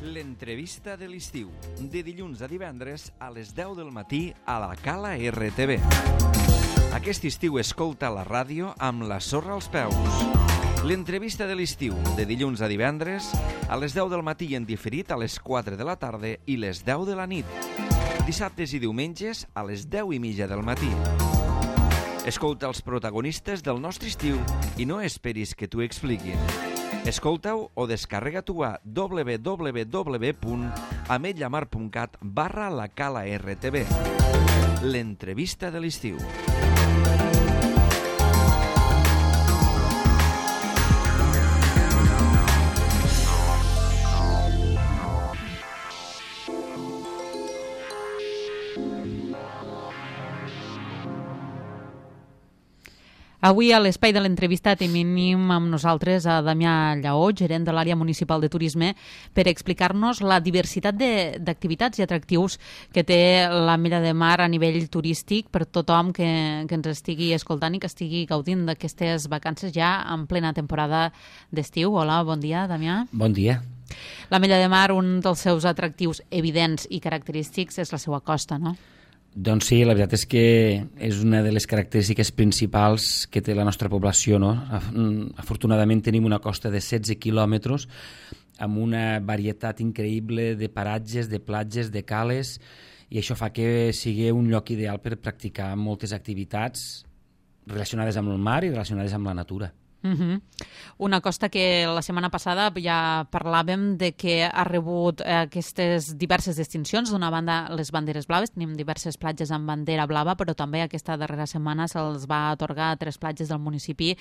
L'entrevista de l'estiu, de dilluns a divendres a les 10 del matí a la Cala RTV. Aquest estiu escolta la ràdio amb la sorra als peus. L'entrevista de l'estiu, de dilluns a divendres a les 10 del matí en diferit a les 4 de la tarda i les 10 de la nit. Dissabtes i diumenges a les 10:30 del matí. Escolta els protagonistes del nostre estiu i no esperis que t'ho expliquin. Escolta-ho o descarrega-t'ho a www.ametlllamar.cat/la Cala RTV. L'entrevista de l'estiu. Avui a l'espai de l'entrevista tenim amb nosaltres a Damià Lleó, gerent de l'àrea municipal de turisme, per explicar-nos la diversitat d'activitats i atractius que té l'Ametlla de Mar a nivell turístic per tothom que ens estigui escoltant i que estigui gaudint d'aquestes vacances ja en plena temporada d'estiu. Hola, bon dia, Damià. Bon dia. L'Ametlla de Mar, un dels seus atractius evidents i característics és la seva costa, no? Doncs sí, la veritat és que és una de les característiques principals que té la nostra població, no? Afortunadament tenim una costa de 16 quilòmetres amb una varietat increïble de paratges, de platges, de cales, i això fa que sigui un lloc ideal per practicar moltes activitats relacionades amb el mar i relacionades amb la natura. Una costa que la setmana passada ja parlàvem de que ha rebut aquestes diverses distincions. D'una banda, les banderes blaves, tenim diverses platges amb bandera blava, però també aquesta darrera setmana se'ls va atorgar a 3 platges del municipi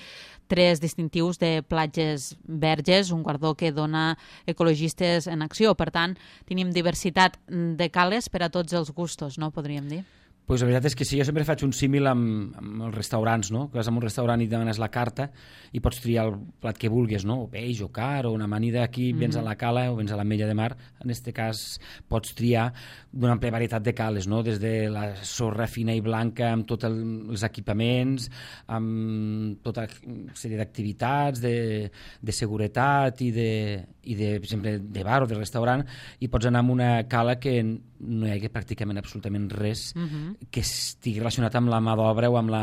3 distintius de platges verges, un guardó que dona ecologistes en acció. Per tant, tenim diversitat de cales per a tots els gustos, no? Podríem dir. Pues la veritat és que sí, jo sempre faig un símil amb els restaurants, no? Que vas a un restaurant i demanes la carta i pots triar el plat que vulguis, no? O peix, o car, o una amanida. Aquí vens a la cala o vens a l'Ametlla de Mar. En aquest cas pots triar d'una àmplia varietat de cales, no? Des de la sorra fina i blanca amb tots els equipaments, amb tota una sèrie d'activitats, de seguretat i per exemple, de bar o de restaurant, i pots anar a una cala que no hi hagi pràcticament absolutament res que estigui relacionat amb la mà d'obra o amb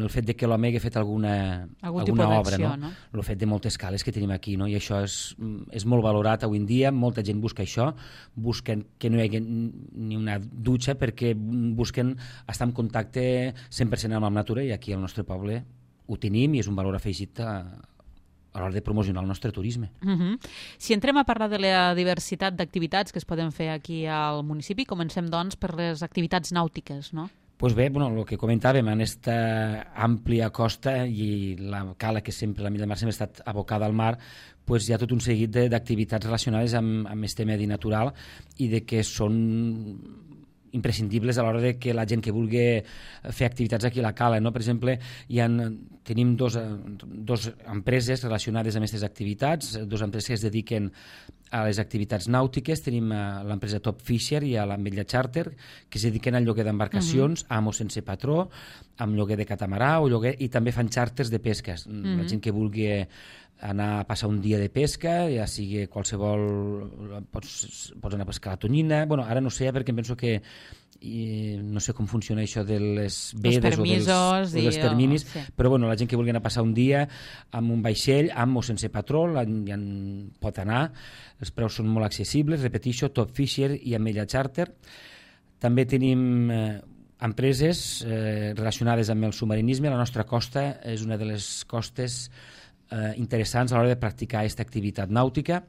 el fet de que l'home hagi fet alguna obra, no? El fet de moltes cales que tenim aquí, no? I això és molt valorat avui en dia. Molta gent busca això, busquen que no hi hagi ni una dutxa perquè busquen estar en contacte 100% amb la natura, i aquí al nostre poble ho tenim i és un valor afegit a l'hora de promocionar el nostre turisme. Si entrem a parlar de la diversitat d'activitats que es poden fer aquí al municipi, comencem doncs per les activitats nàutiques, no? Pues bé, el que comentàvem, en aquesta àmplia costa i la cala que sempre, l'Ametlla de Mar sempre ha estat abocada al mar, pues hi ha tot un seguit d'activitats relacionades amb aquest medi natural i de que són imprescindibles a l'hora de que la gent que vulgui fer activitats aquí a la cala, no? Per exemple, tenim dos empreses relacionades amb aquestes activitats, 2 empreses que es dediquen a les activitats nàutiques. Tenim l'empresa Top Fisher i a l'Ametlla Charter, que es dediquen al lloguer d'embarcacions, amo sense patró, amb lloguer de catamarà o lloguer, i també fan xàrters de pesques. La gent que vulgui anar a passar un dia de pesca, ja sigui qualsevol, pots anar a pescar la tonyina. Bueno, ara no sé, perquè em penso que no sé com funciona això de les vedes o dels terminis, però bueno, la gent que vulgui anar a passar un dia amb un vaixell, amb o sense patró, ja pot anar. Els preus són molt accessibles, repeteixo, Top Fisher i Ametlla Charter. També tenim empreses relacionades amb el submarinisme. La nostra costa és una de les costes interessants a l'hora de practicar aquesta activitat nàutica,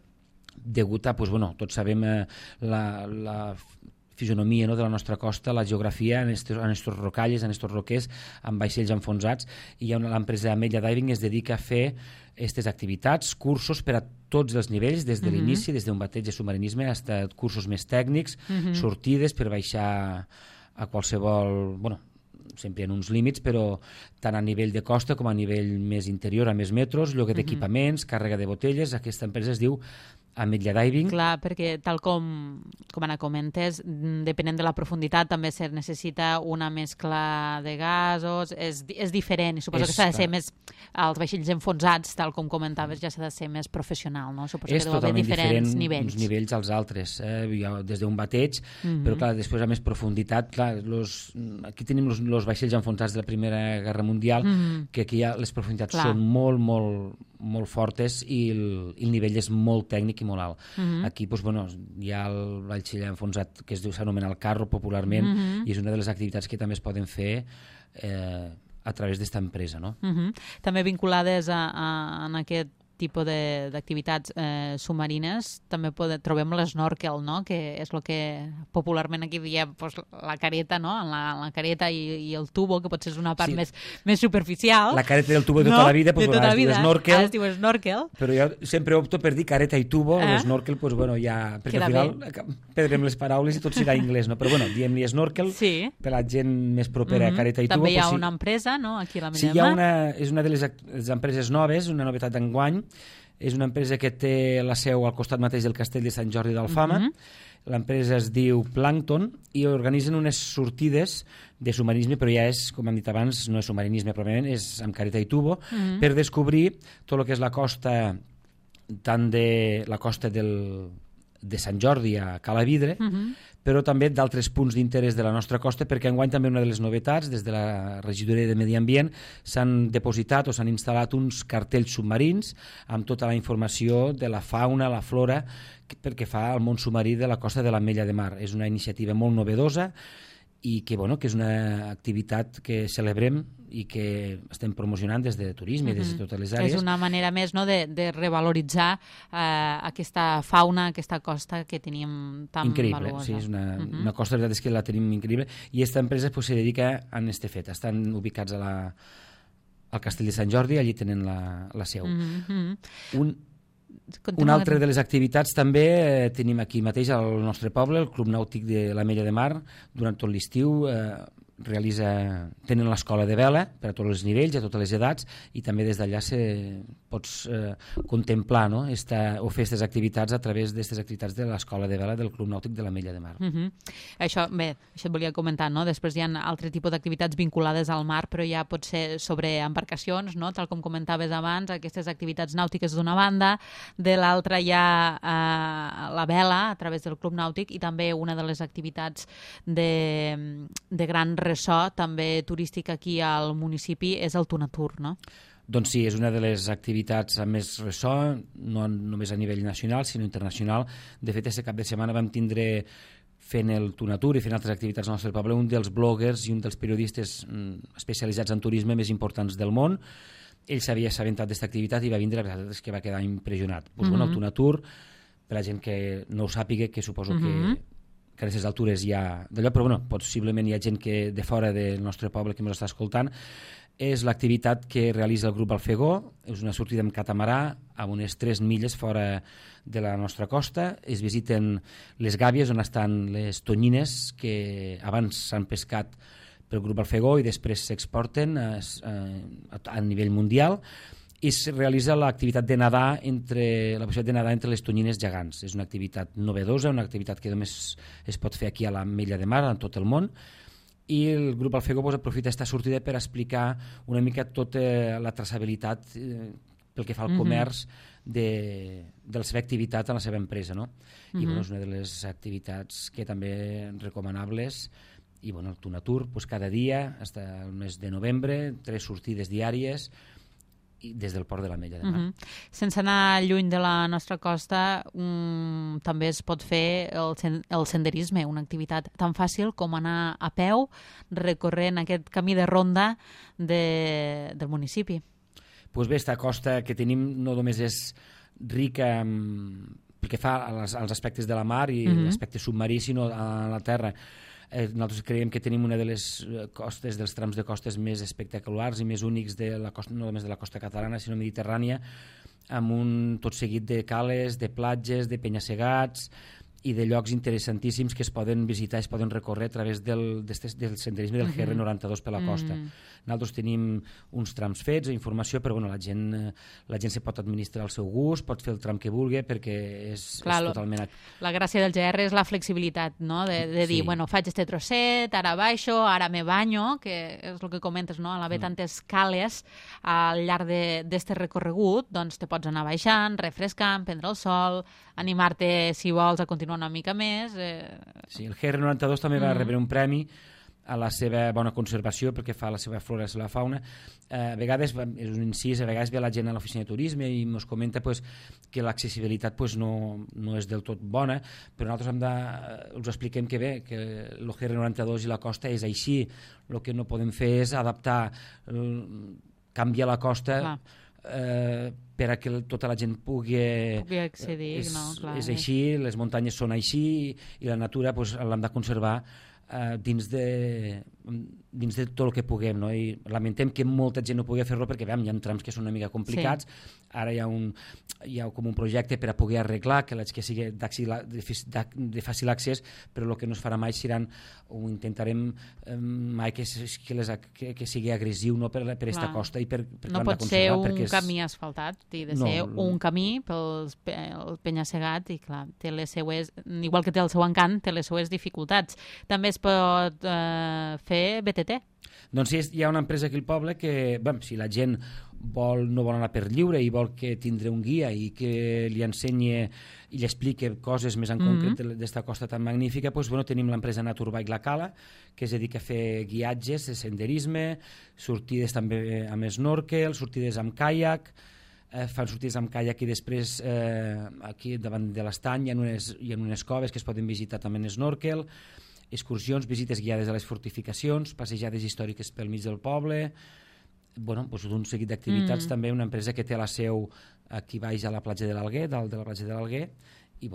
degut a, tots sabem la fisonomia, no, de la nostra costa, la geografia en estos rocalles, en estos roquers, amb vaixells enfonsats, i l'empresa Ametlla Diving es dedica a fer aquestes activitats, cursos per a tots els nivells, des de l'inici, des d'un bateig de submarinisme fins a cursos més tècnics, sortides per baixar a qualsevol, sempre en uns límits, però tant a nivell de costa com a nivell més interior, a més metros, lloguer d'equipaments, càrrega de botelles. Aquesta empresa es diu ametlla diving. Clar, perquè tal com ara comentes, depenent de la profunditat també se necessita una mescla de gasos, és diferent i suposo que s'ha de ser més, als vaixells enfonsats, tal com comentaves, ja s'ha de ser més professional, no? Suposo que deu haver diferents nivells. Uns nivells als altres, des d'un bateig, però clar, després a més profunditat, clar, aquí tenim els vaixells enfonsats de la Primera Guerra Mundial, que aquí les profunditats són molt, molt, molt fortes i el nivell és molt tècnic i molt alt. Aquí hi ha el vaixell enfonsat que s'anomena el carro popularment i és una de les activitats que també es poden fer a través d'esta empresa. No? També vinculades en aquest tipus d'activitats submarines també trobem l'esnorkel, no? Que és el que popularment aquí diem la careta, no? La careta i el tubo, que potser és una part més superficial. La careta i el tubo de tota la vida, es diu snorkel. Però jo sempre opto per dir careta i tubo, l'esnorkel, perquè al final perdrem les paraules i tot serà anglès, no? Però diem-li snorkel per la gent més propera a careta i tubo. També hi ha una empresa, no? Aquí a la Mella de Mar. És una de les empreses noves, una novetat d'enguany. És una empresa que té la seu al costat mateix del castell de Sant Jordi d'Alfama. L'empresa es diu Plankton i organitzen unes sortides de submarinisme, però ja és, com hem dit abans, no és submarinisme pròpiament, és amb careta i tubo, per descobrir tot el que és la costa, tant de la costa de Sant Jordi a Calavidre, però també d'altres punts d'interès de la nostra costa, perquè enguany també una de les novetats, des de la regidoria de Medi Ambient, s'han depositat o s'han instal·lat uns cartells submarins amb tota la informació de la fauna, la flora, perquè fa al món submarí de la costa de l'Ametlla de Mar. És una iniciativa molt novedosa i que és una activitat que celebrem i que estem promocionant des de turisme i des de totes les àrees. És una manera més, no, de revaloritzar aquesta fauna, aquesta costa que tenim tan increïble, valuosa. Sí, és una costa, la veritat és que la tenim increïble, i aquesta empresa se dedica a este fet. Estan ubicats al Castell de Sant Jordi, allí tenen la seu. Una altra de les activitats també tenim aquí mateix al nostre poble, el Club Nàutic de l'Ametlla de Mar. Durant tot l'estiu tenen l'escola de vela per a tots els nivells, a totes les edats, i també des d'allà pots contemplar, no? O fer aquestes activitats a través d'aquestes activitats de l'escola de vela del Club Nàutic de l'Ametlla de Mar. Això et volia comentar, no? Després hi ha altre tipus d'activitats vinculades al mar, però ja pot ser sobre embarcacions, no? Tal com comentaves abans, aquestes activitats nàutiques d'una banda, de l'altra hi ha la vela a través del Club Nàutic, i també una de les activitats de gran ressò també turístic aquí al municipi és el Tunatur, no? Doncs sí, és una de les activitats amb més ressò, no només a nivell nacional, sinó internacional. De fet, aquest cap de setmana vam tindre, fent el Tunatur i fent altres activitats al nostre poble, un dels bloggers i un dels periodistes especialitzats en turisme més importants del món. Ell s'havia assabentat d'aquesta activitat i va vindre, la veritat és que va quedar impressionat. El Tunatur, per la gent que no ho sàpiga, que suposo que a aquestes altures hi ha d'allò, però possiblement hi ha gent que de fora del nostre poble que ens està escoltant. És l'activitat que realitza el grup Alfegó, és una sortida amb catamarà a unes 3 milles fora de la nostra costa. Es visiten les gàbies on estan les tonyines que abans s'han pescat pel grup Alfegó i després s'exporten a nivell mundial, i es realitza l'activitat de nadar la possibilitat de nadar entre les tonyines gegants. És una activitat novedosa, una activitat que només es pot fer aquí a l'Ametlla de Mar, en tot el món, i el grup Alfegó aprofita aquesta sortida per explicar una mica tota la traçabilitat pel que fa al comerç de la seva activitat en la seva empresa, no? I és una de les activitats que també recomanables. I el Tunatur, cada dia, fins al mes de novembre, 3 sortides diàries des del port de l'Ametlla de Mar. Sense anar lluny de la nostra costa, també es pot fer el senderisme, una activitat tan fàcil com anar a peu recorrent aquest camí de ronda del municipi. Doncs bé, aquesta costa que tenim no només és rica pel que fa als aspectes de la mar i l'aspecte submarí, sinó a la terra. Nosaltres creiem que tenim una de les costes, dels trams de costes més espectaculars i més únics de la costa, no només de la costa catalana, sinó mediterrània, amb un tot seguit de cales, de platges, de penya-segats i de llocs interessantíssims que es poden visitar, es poden recórrer a través del senderisme del GR92 per la costa. Nosaltres tenim uns trams fets, informació, però bueno, la gent se pot administrar al seu gust, pot fer el tram que vulgui, perquè és totalment... La gràcia del GR és la flexibilitat, no? De dir, bueno, faig este trosset, ara baixo, ara me banyo, que és el que comentes, no? Al haver tantes cales al llarg d'este recorregut, doncs te pots anar baixant, refrescant, prendre el sol, animar-te, si vols, a continuar una mica més. Sí, el GR92 també va rebre un premi a la seva bona conservació perquè fa la seva flora i la seva fauna. A vegades, és un incís, a vegades ve la gent a l'oficina de turisme i ens comenta que l'accessibilitat no és del tot bona, però nosaltres us expliquem que bé, que el GR92 i la costa és així. El que no podem fer és adaptar, canviar la costa per a que tota la gent pugui accedir. És així, les muntanyes són així i la natura l'hem de conservar dins de tot el que puguem, no? I lamentem que molta gent no pugui fer-lo perquè hi ha trams que són una mica complicats. Ara hi ha com un projecte per a poder arreglar que sigui de fàcil accés, però el que no es farà mai seran, o intentarem mai que sigui agressiu, no, per aquesta costa i per no pot ser un camí asfaltat, ha de ser un camí pel penya-segat i clar, té les seues, igual que té el seu encant, té les seues dificultats. També es pot fer BTT. Doncs sí, hi ha una empresa aquí al poble que, si la gent no vol anar per lliure i vol que tindre un guia i que li ensenyi i li expliqui coses més en concret d'esta costa tan magnífica, tenim l'empresa Naturbike La Cala, que es dedica a fer guiatges de senderisme, sortides també amb snorkel, sortides amb caiac, fan sortides amb caiac i després aquí davant de l'estany hi ha unes coves que es poden visitar també en snorkel, excursions, visites guiades a les fortificacions, passejades històriques pel mig del poble, un seguit d'activitats. També una empresa que té la seu aquí baix a la platja de l'Alguer, dalt de la platja de l'Alguer, i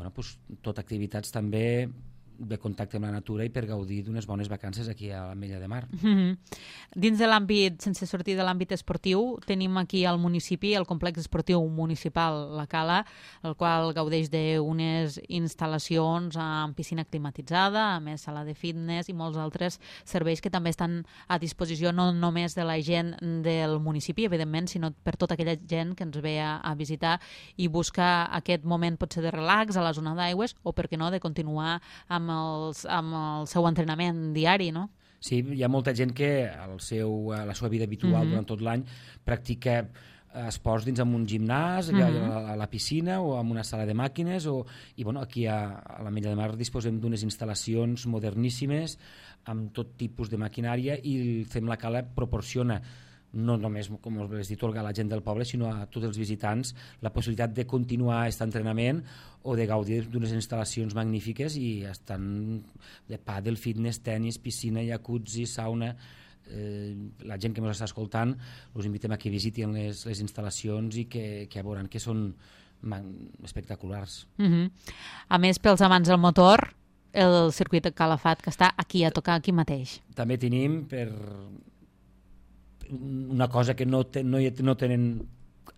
tot activitats també de contacte amb la natura i per gaudir d'unes bones vacances aquí a l'Ametlla de Mar. Dins de l'àmbit, sense sortir de l'àmbit esportiu, tenim aquí al municipi el complex esportiu municipal La Cala, el qual gaudeix d'unes instal·lacions amb piscina climatitzada, a més sala de fitness i molts altres serveis que també estan a disposició no només de la gent del municipi, evidentment, sinó per tota aquella gent que ens ve a visitar i busca aquest moment potser de relax a la zona d'aigües o, per què no, de continuar amb el seu entrenament diari, no? Sí, hi ha molta gent que a la seva vida habitual durant tot l'any practica esports dins amb un gimnàs, a la piscina o amb una sala de màquines i aquí a l'Ametlla de Mar disposem d'unes instal·lacions moderníssimes amb tot tipus de maquinària i el Fem La Cala proporciona no només, com us he dit, a la gent del poble, sinó a tots els visitants la possibilitat de continuar aquest entrenament o de gaudir d'unes instal·lacions magnífiques i estan de pàdel, fitness, tennis, piscina, jacuzzi, sauna. La gent que ens està escoltant us invitem a que visitin les instal·lacions i que veuran que són espectaculars. A més, pels amants del motor, el circuit de Calafat, que està aquí a tocar aquí mateix. També tenim una cosa que no tenen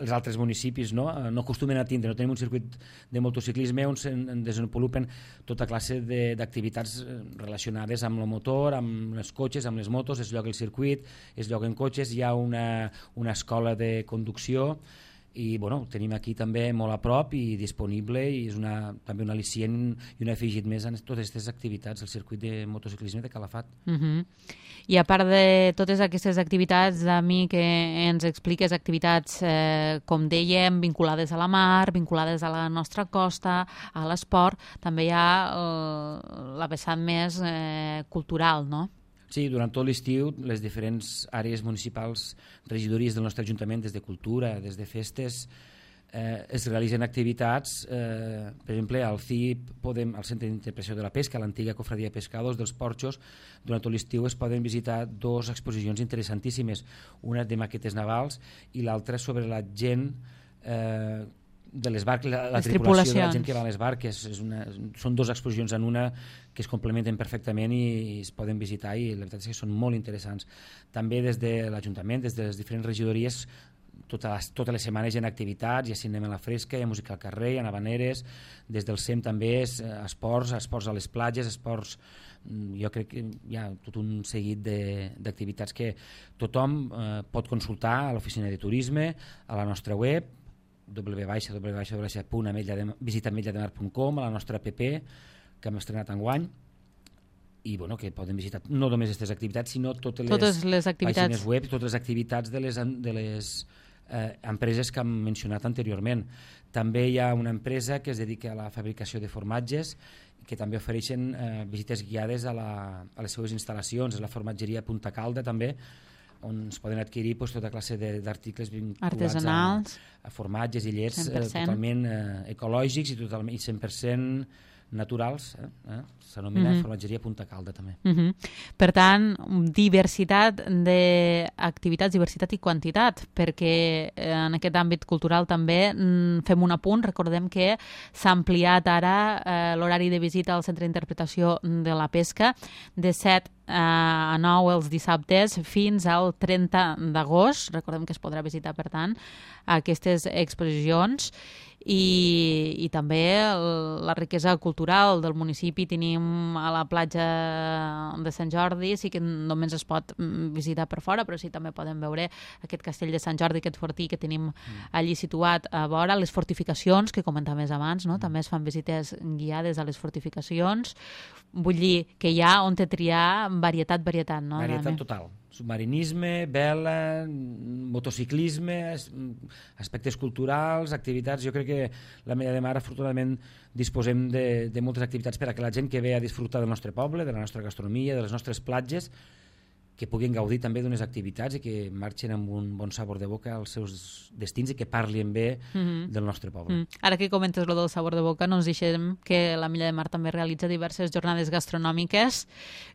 els altres municipis, no acostumen a tindre. No tenim un circuit de motociclisme on es desenvolupen tota classe d'activitats relacionades amb el motor, amb els cotxes, amb les motos. Es lloga el circuit, es lloguen cotxes, hi ha una escola de conducció i tenim aquí també molt a prop i disponible i és també un al·licient i un afegit més en totes aquestes activitats, el circuit de motociclisme de Calafat. I a part de totes aquestes activitats, a mi que ens expliques activitats, com dèiem, vinculades a la mar, vinculades a la nostra costa, a l'esport, també hi ha la vessant més cultural, no? Sí, durant tot l'estiu les diferents àrees municipals, regidories del nostre Ajuntament, des de cultura, des de festes, es realitzen activitats, per exemple, al CIP, al Centre d'Interpretació de la Pesca, a l'antiga Cofradia de Pescadors dels Porxos, durant tot l'estiu es poden visitar dues exposicions interessantíssimes, una de maquetes navals i l'altra sobre la gent de les barques, la tripulació de la gent que va a les barques. Són dues exposicions en una que es complementen perfectament i es poden visitar i la veritat és que són molt interessants. També des de l'Ajuntament, des de les diferents regidories, totes les setmanes hi ha activitats, hi ha cinema a la fresca, hi ha música al carrer, hi ha havaneres, des del SEM també és esports a les platges, esports, jo crec que hi ha tot un seguit d'activitats que tothom pot consultar a l'oficina de turisme, a la nostra web, www.visitametllatemar.com, a la nostra app que hem estrenat enguany, i bueno, que poden visitar no només aquestes activitats, sinó totes les pàgines web, totes les activitats de les empreses que hem mencionat anteriorment. També hi ha una empresa que es dedica a la fabricació de formatges, que també ofereixen visites guiades a les seues instal·lacions, és la formatgeria Punta Calda també, on es poden adquirir tota classe d'articles vinculats a formatges i llets totalment ecològics i 100% naturals, s'anomena formatgeria Punta Calda també. Per tant, diversitat d'activitats, diversitat i quantitat, perquè en aquest àmbit cultural també fem un apunt, recordem que s'ha ampliat ara l'horari de visita al Centre d'Interpretació de la Pesca de 7 a 9 els dissabtes fins al 30 d'agost. Recordem que es podrà visitar, per tant, aquestes exposicions i també la riquesa cultural del municipi. Tenim a la platja de Sant Jordi, sí que només es pot visitar per fora, però sí també podem veure aquest castell de Sant Jordi, aquest fortí que tenim allí situat a vora, les fortificacions que comentaves abans, no? També es fan visites guiades a les fortificacions. Vull dir que hi ha on te triar varietat, no? Varietat total. Submarinisme, vela, motociclisme, aspectes culturals, activitats. Jo crec que l'Ametlla de Mar, afortunadament, disposem de moltes activitats per a que la gent que ve a disfrutar del nostre poble, de la nostra gastronomia, de les nostres platges, que puguin gaudir també d'unes activitats i que marxin amb un bon sabor de boca als seus destins i que parlin bé del nostre poble. Ara que comentes lo del sabor de boca, no ens deixem que l'Ametlla de Mar també realitza diverses jornades gastronòmiques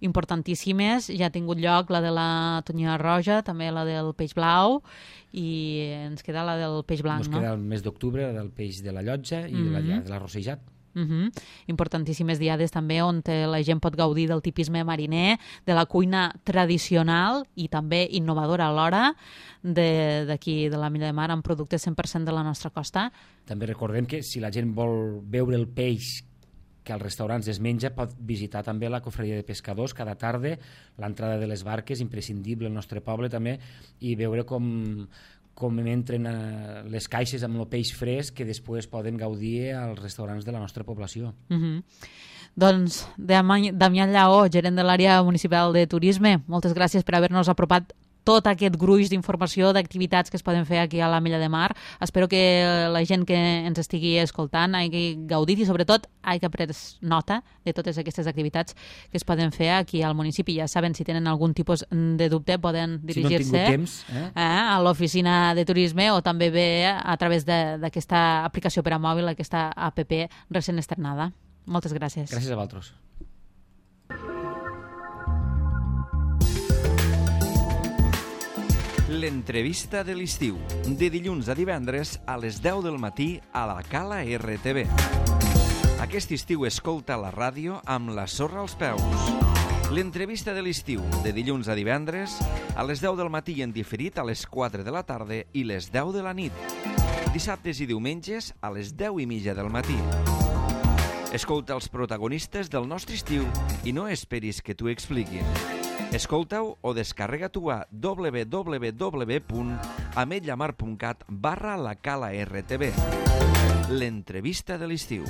importantíssimes. Ja ha tingut lloc la de la tonyina roja, també la del peix blau, i ens queda la del peix blanc, no? Ens queda el mes d'octubre, la del peix de la llotja i la de l'arrossejat. Importantíssimes diades també on la gent pot gaudir del tipisme mariner, de la cuina tradicional i també innovadora alhora d'aquí de l'Ametlla de Mar amb productes 100% de la nostra costa. També recordem que si la gent vol veure el peix que als restaurants es menja, pot visitar també la cofreria de pescadors cada tarda, l'entrada de les barques, imprescindible al nostre poble també, i veure com entren les caixes amb el peix fresc que després poden gaudir als restaurants de la nostra població. Doncs, Damià Lleó, gerent de l'àrea municipal de turisme, moltes gràcies per haver-nos apropat tot aquest gruix d'informació, d'activitats que es poden fer aquí a l'Ametlla de Mar. Espero que la gent que ens estigui escoltant hagi gaudit i sobretot hagi pres nota de totes aquestes activitats que es poden fer aquí al municipi. Ja saben, si tenen algun tipus de dubte poden dirigir-se a l'oficina de turisme o també bé a través d'aquesta aplicació per a mòbil, aquesta app recent estrenada. Moltes gràcies. Gràcies a vosaltres. L'entrevista de l'estiu, de dilluns a divendres a les 10 del matí a la Cala RTV. Aquest estiu escolta la ràdio amb la sorra als peus. L'entrevista de l'estiu, de dilluns a divendres a les 10 del matí i en diferit a les 4 de la tarda i les 10 de la nit. Dissabtes i diumenges a les 10:30 del matí. Escolta els protagonistes del nostre estiu i no esperis que t'ho expliquin. Escolta-ho o descarrega-t'ho a www.ametlamar.cat/la Cala RTV. L'entrevista de l'estiu.